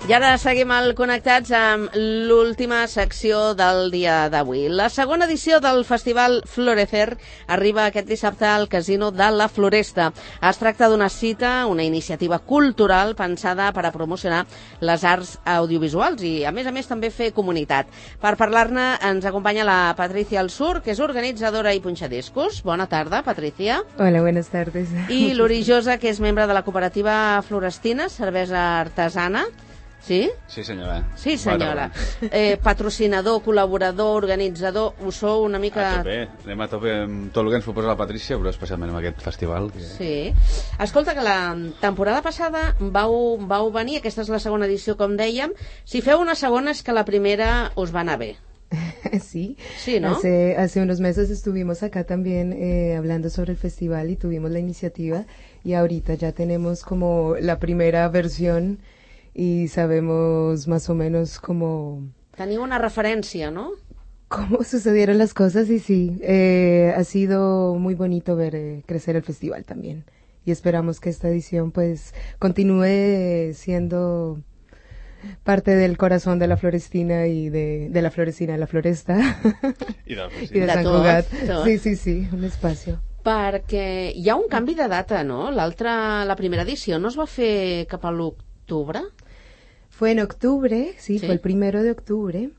I ara seguim connectats amb l'última secció del dia d'avui. La segona edició del Festival Florecer arriba aquest dissabte al Casino de la Floresta. Es tracta d'una cita, una iniciativa cultural pensada per a promocionar les arts audiovisuals i, a més també fer comunitat. Per parlar-ne ens acompanya la Patricia Alsur, que és organitzadora i punxadiscos. Bona tarda, Patricia. Hola, buenas tardes. I l'Uri Josa, que és membre de la cooperativa Florestina, cervesa artesana. Sí? Sí, senyora. Sí, senyora. Patrocinador, col·laborador, organitzador, ho sou una mica... A tope, anem a tope amb tot el que ens proposa la Patrícia, però especialment amb aquest festival. Sí. Escolta, que la temporada passada vau venir, aquesta és la segona edició, com dèiem. Si feu una segona és que la primera us va anar bé. Sí, sí, ¿no? Hace unos meses estuvimos acá también hablando sobre el festival y tuvimos la iniciativa y ahorita ya tenemos como la primera versión y sabemos más o menos cómo... Teniu una referència, ¿no? Cómo sucedieron las cosas y sí, ha sido muy bonito ver crecer el festival también y esperamos que esta edición pues continúe siendo parte del corazón de la Florestina y de la Florestina de la Floresta i de Sant Cugat. Sí, un espacio. Perquè hi ha un canvi de data, no? La primera edició no es va fer cap a l'octubre? Fue en octubre, sí, fue el 1 de octubre,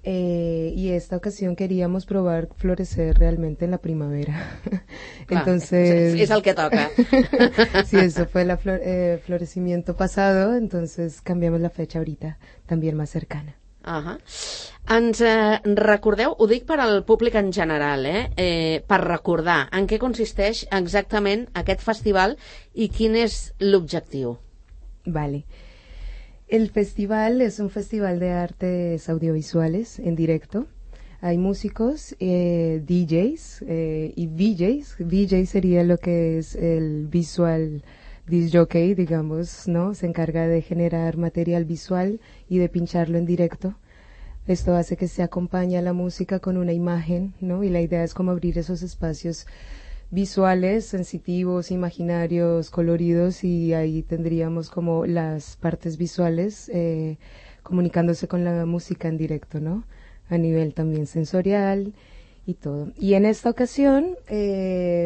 y esta ocasión queríamos probar florecer realmente en la primavera. Clar, entonces és el que toca. Sí, eso fue el florecimiento pasado, entonces cambiamos la fecha ahorita, también más cercana. Ens recordeu, ho dic per al públic en general, per recordar en què consisteix exactament aquest festival i quin és l'objectiu. Vale. El festival es un festival de artes audiovisuales en directo. Hay músicos, DJs y VJs. VJ sería lo que es el visual disc jockey, digamos, ¿no? Se encarga de generar material visual y de pincharlo en directo. Esto hace que se acompañe a la música con una imagen, ¿no? Y la idea es como abrir esos espacios visuales, sensitivos, imaginarios, coloridos, y ahí tendríamos como las partes visuales comunicándose con la música en directo, ¿no? A nivel también sensorial y todo. Y en esta ocasión,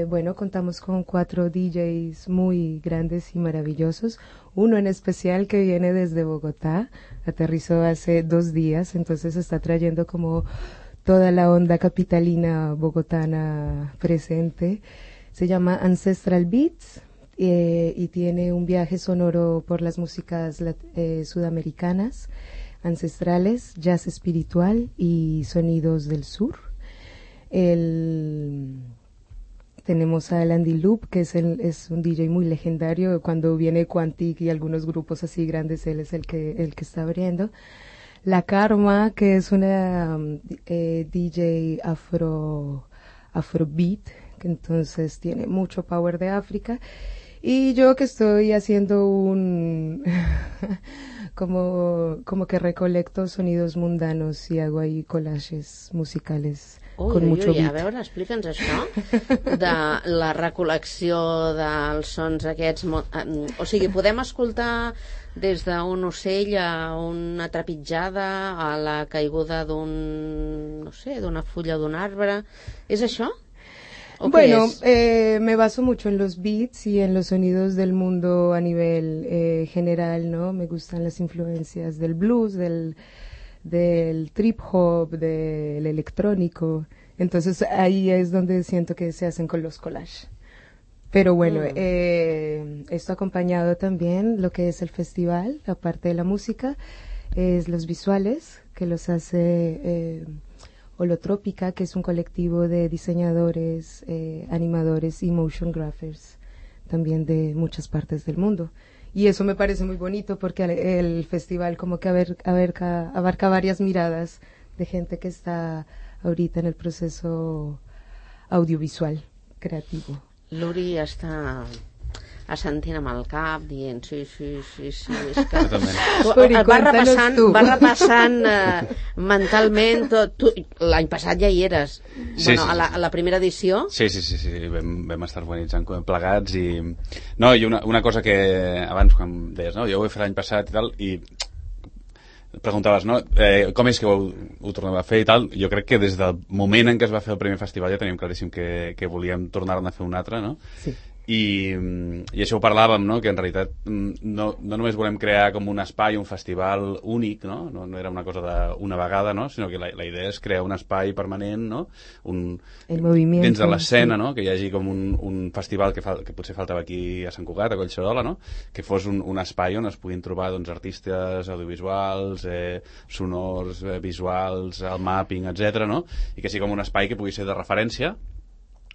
bueno, contamos con 4 DJs muy grandes y maravillosos. Uno en especial que viene desde Bogotá, aterrizó hace 2 días, entonces está trayendo como toda la onda capitalina bogotana presente. Se llama Ancestral Beats y tiene un viaje sonoro por las músicas sudamericanas, ancestrales, jazz espiritual y sonidos del sur. Tenemos a Andy Loop, que es un DJ muy legendario. Cuando viene Quantic y algunos grupos así grandes, él es el que está abriendo. La Karma, que es una DJ afrobeat, que entonces tiene mucho power de África. Y yo que estoy haciendo como que recolecto sonidos mundanos y hago ahí collages musicales con mucho beat. A veure, explica'ns això de la recol·lecció dels sons aquests. O sigui, podem escoltar des d'un ocell a una trepitjada, a la caiguda d'una fulla d'un arbre. És això? Bueno, me baso mucho en los beats y en los sonidos del mundo a nivel general, ¿no? Me gustan las influencias del blues, del trip hop, del electrónico. Entonces ahí es donde siento que se hacen con los collages. Pero bueno, esto acompañado también lo que es el festival, aparte de la música, es los visuales, que los hace Holotrópica, que es un colectivo de diseñadores, animadores y motion graphers, también de muchas partes del mundo. Y eso me parece muy bonito porque el festival como que abarca varias miradas de gente que está ahorita en el proceso audiovisual creativo. L'Uri està assentint amb el cap, dient sí, és que va repassant mentalment tot. L'any passat ja hi eres, a la primera edició. Sí, vam estar organitzant plegats i una cosa que abans quan deies, no, jo ho he fet l'any passat i tal, i preguntaves, no? Com és que ho tornem a fer i tal? Jo crec que des del moment en què es va fer el primer festival ja teníem claríssim que volíem tornar-ne a fer un altre, no? Sí. I això ho parlàvem, no? Que en realitat no només volem crear com un espai, un festival únic, no? No era una cosa d'una vegada, no? Sinó que la idea és crear un espai permanent, no? Dins de l'escena, no? Que hi hagi com un festival que potser faltava aquí a Sant Cugat, a Collserola, no? Que fos un espai on es puguin trobar doncs, artistes audiovisuals, sonors, visuals, el mapping, etc, no? I que sigui com un espai que pugui ser de referència,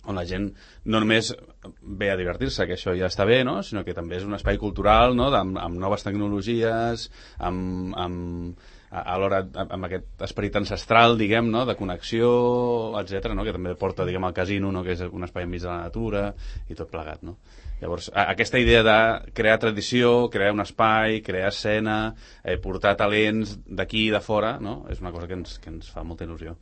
on la gent no només ve a divertir-se, que això ja està bé, no? Sinó que també és un espai cultural, no? Amb noves tecnologies, alhora amb aquest esperit ancestral, diguem, no? De connexió, etc, no? Que també porta, diguem, al casino, no? Que és un espai enmig de la natura i tot plegat, no? Llavors, aquesta idea de crear tradició, crear un espai, crear escena, portar talents d'aquí i de fora, no? És una cosa que ens fa molta il·lusió.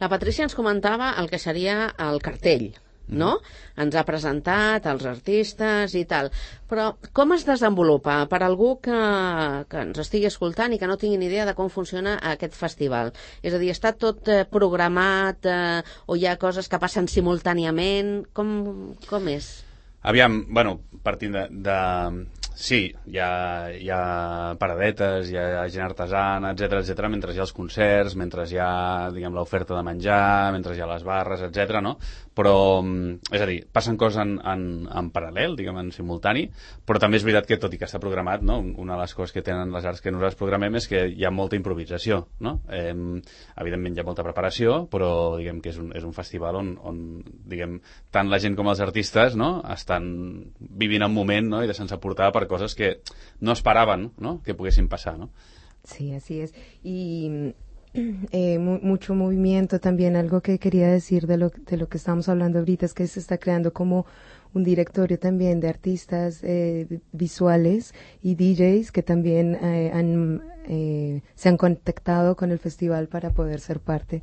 La Patrícia ens comentava el que seria el cartell, no? Ens ha presentat els artistes i tal. Però com es desenvolupa per algú que ens estigui escoltant i que no tingui ni idea de com funciona aquest festival? És a dir, està tot programat o hi ha coses que passen simultàniament? Com és? Aviam, bueno, partint sí, hi ha paradetes, hi ha gent artesana, etc, mentre hi ha els concerts, mentre hi ha, diguem, l'oferta de menjar, mentre hi ha les barres, etc, no? Però, és a dir, passen coses en paral·lel, diguem, en simultani, però també és veritat que, tot i que està programat, no? Una de les coses que tenen les arts que nosaltres programem és que hi ha molta improvisació, no? Evidentment hi ha molta preparació, però, diguem, que és un festival on diguem, tant la gent com els artistes, no? Estan vivint el moment, no? I deixant-se portar per cosas que no esperaban, ¿no? Que pudiesen pasar, ¿no? Sí, así es. Y mucho movimiento también. Algo que quería decir de lo que estamos hablando ahorita es que se está creando como un directorio también de artistas visuales y DJs que también se han contactado con el festival para poder ser parte,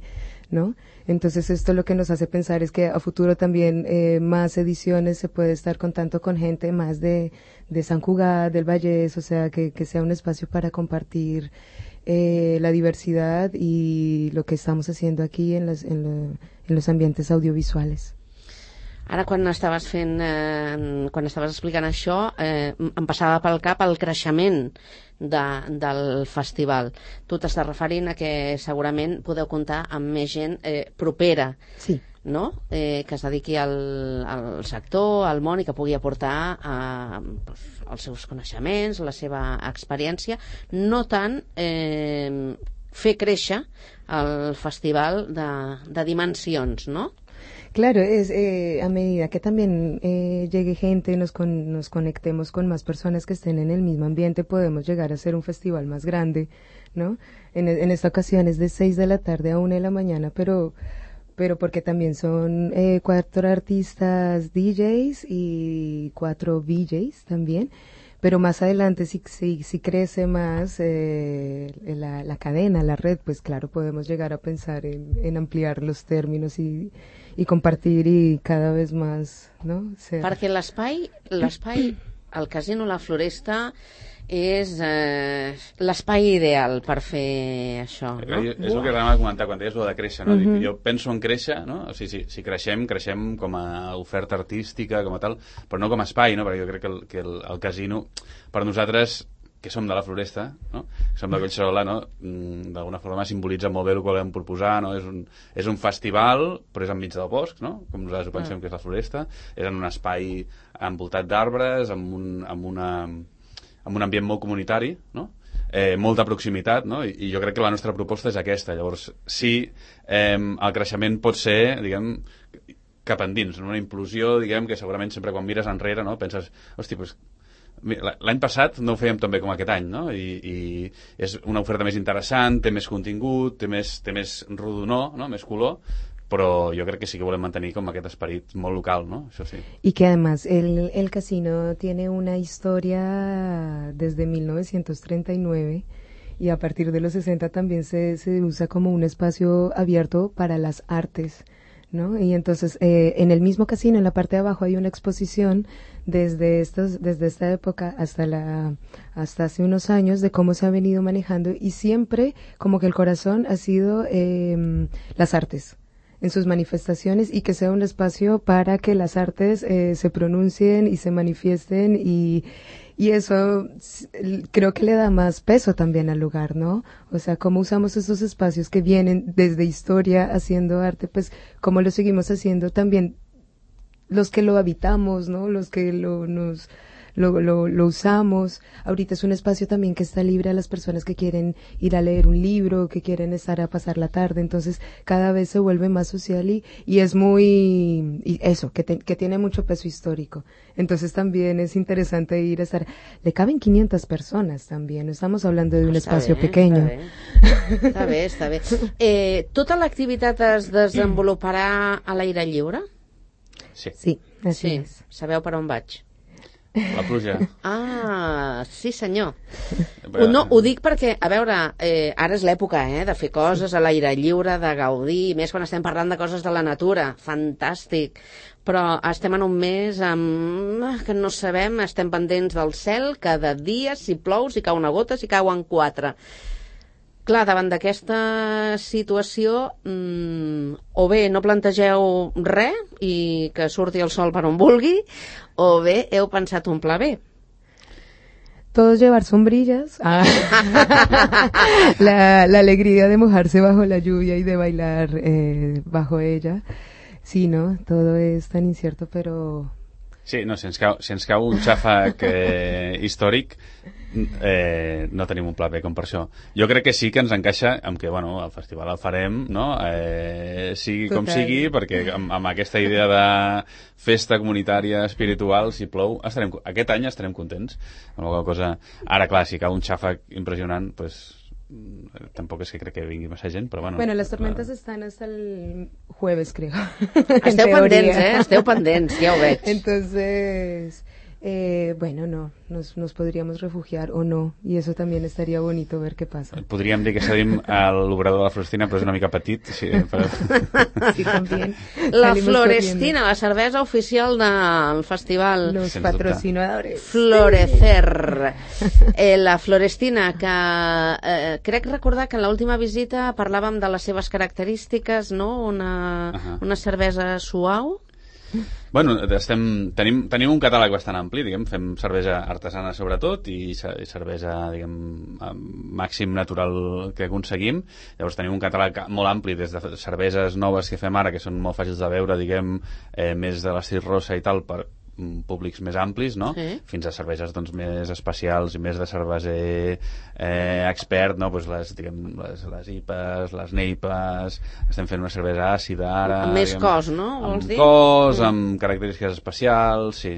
¿no? Entonces esto lo que nos hace pensar es que a futuro también más ediciones se puede estar contando con gente más de Sant Cugat, del Vallès, o sea, que sea un espacio para compartir la diversidad y lo que estamos haciendo aquí en los ambientes audiovisuales. Ara, quan estaves explicant això, em passava pel cap el creixement del festival. Tu t'estàs referint a que segurament podeu comptar amb més gent propera, sí, no? Que es dediqui al sector, al món, i que pugui aportar els seus coneixements, la seva experiència, no tant fer créixer el festival de dimensions, no? Claro, es a medida que también llegue gente, nos conectemos con más personas que estén en el mismo ambiente, podemos llegar a hacer un festival más grande, ¿no? En esta ocasión es de 6 de la tarde a 1 de la mañana, pero porque también son 4 artistas DJs y 4 VJs también. Pero más adelante, si crece más la cadena, la red, pues claro, podemos llegar a pensar en ampliar los términos y compartir y cada vez más, ¿no? Perquè l'espai, el Casino La Floresta, és l'espai ideal per fer això, no? És el que anava a comentar quan deies el de créixer, no? Jo penso en créixer, no? O sigui, si creixem com a oferta artística, com a tal, però no com a espai, no? Perquè jo crec que el casino, per nosaltres, que som de la Floresta, no? Que som de Collserola, no? D'alguna forma simbolitza molt bé el que volem proposar, no? És un festival, però és enmig del bosc, no? Com nosaltres ho pensem que és la Floresta, és en un espai envoltat d'arbres, amb un ambient molt comunitari, no? Molta proximitat, no? I jo crec que la nostra proposta és aquesta. Llavors, sí, el creixement pot ser, diguem, cap endins, una implosió, diguem, que segurament sempre quan mires enrere, no? Penses, hosti, doncs l'any passat no ho fèiem tan bé com aquest any, no? I és una oferta més interessant, té més contingut, té més rodonor, no? Més color, però jo crec que sí que volem mantenir com aquest esperit molt local, ¿no? Això sí. Y que además el casino tiene una historia desde 1939 y a partir de los 60 también se usa como un espacio abierto para las artes, ¿no? Y entonces en el mismo casino, en la parte de abajo, hay una exposición desde esta época hasta hace unos años de cómo se ha venido manejando, y siempre como que el corazón ha sido las artes en sus manifestaciones, y que sea un espacio para que las artes se pronuncien y se manifiesten, y eso creo que le da más peso también al lugar, ¿no? O sea, cómo usamos esos espacios que vienen desde historia haciendo arte, pues cómo lo seguimos haciendo también los que lo habitamos, ¿no? Los que lo usamos. Ahorita es un espacio también que está libre a las personas que quieren ir a leer un libro, que quieren estar a pasar la tarde, entonces cada vez se vuelve más social y es muy, y eso, que tiene mucho peso histórico. Entonces también es interesante ir a estar, le caben 500 personas también, no estamos hablando de un espacio pequeño. Està bé. Tota l'activitat es desenvoluparà a l'aire lliure? Sí, así es. Sabeu per on vaig? La pluja. Ah, sí senyor. No, ho dic perquè, a veure, ara és l'època de fer coses a l'aire lliure, de gaudir, més quan estem parlant de coses de la natura, fantàstic. Però estem en un mes que no sabem, estem pendents del cel cada dia, si plou, si cau una gota, si cauen 4. Clar, davant d'aquesta situació, o bé no plantegeu res i que surti el sol per on vulgui, o bé heu pensat un pla B. Todos llevar sombrillas. La alegría de mojarse bajo la lluvia y de bailar bajo ella. Sí, ¿no? Todo es tan incierto, pero... Sí, no, si ens cau un xàfec històric, no tenim un pla B com per això. Jo crec que sí que ens encaixa amb que, bueno, el festival el farem, no? Sigui com sigui, perquè amb aquesta idea de festa comunitària, espiritual, si plou, aquest any estarem contents. Amb alguna cosa... Ara, clar, si cau un xàfec impressionant, pues... tampoco es que creo que vingui massa gent, però bueno... Bueno, las tormentas están hasta el jueves, creo. Esteu pendents, ja ho veig. Entonces, bueno, no, nos podríamos refugiar o no, y eso también estaría bonito ver qué pasa. Podríem dir que cedim a l'obrador de la Florestina, però és una mica petit. Sí, però... sí, también. La Florestina, la cervesa oficial del festival. Los patrocinadores. Florecer. La Florestina, que crec recordar que en l'última visita parlàvem de les seves característiques, no? Una cervesa suau. Bueno, tenim un catàleg bastant ampli, diguem, fem cervesa artesana sobretot i cervesa, diguem, màxim natural que aconseguim. Llavors tenim un catàleg molt ampli, des de cerveses noves que fem ara, que són molt fàcils de veure, diguem, més de l'estil rosa i tal, per públics més amplis, no? Sí. Fins a cerveses doncs, més especials i més de cerveser expert, no? Pues les IPAs, les NEIPAs, estem fent una cervesa àcida ara... Amb més cos, no? Vols dir? Amb cos, amb característiques especials, sí.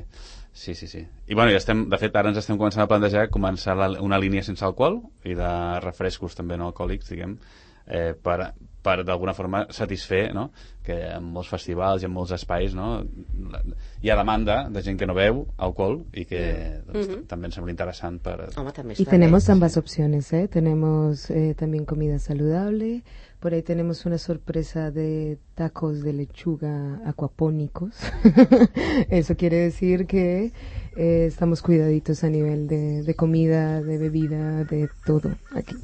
I bueno, de fet ara ens estem començant a plantejar començar una línia sense alcohol i de refrescos també no alcohòlics, diguem, per d'alguna forma satisfer, no? Que en molts festivals i en molts espais, no? Hi ha demanda de gent que no beu alcohol y que también se me interesante para... Y tenemos ambas opciones, ¿eh? Tenemos también comida saludable, por ahí tenemos una sorpresa de tacos de lechuga acuapónicos. Eso quiere decir que estamos cuidaditos a nivel de comida, de bebida, de todo aquí.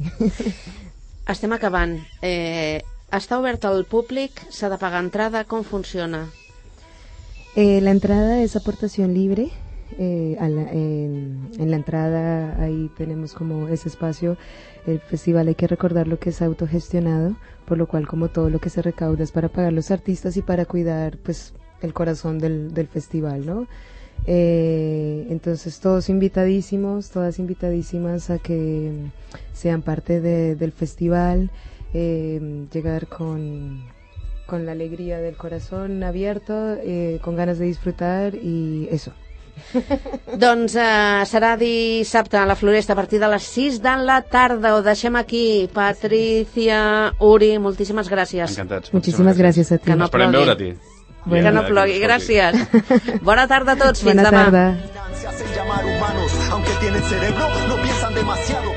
Estem acabant. Està obert al públic? S'ha de pagar entrada? Com funciona? La entrada es aportación libre. En la entrada ahí tenemos como ese espacio. El festival, hay que recordar lo que es autogestionado, por lo cual como todo lo que se recauda es para pagar los artistas y para cuidar pues el corazón del festival, ¿no? Entonces todos invitadísimos, todas invitadísimas a que sean parte del festival, llegar con la alegría del corazón abierto, con ganas de disfrutar y eso. Doncs serà dissabte a la Floresta a partir de les 6 de la tarda. Ho deixem aquí. Patricia, Uri, moltíssimes gràcies. Encantats. Muchísimas gracias a ti. Que no Esperem veure-t'hi. Que no plogui, gràcies. Bona tarda a tots, fins demà. Bona tarda. Se hacen llamar humanos, aunque tienen cerebro, no piensan demasiado.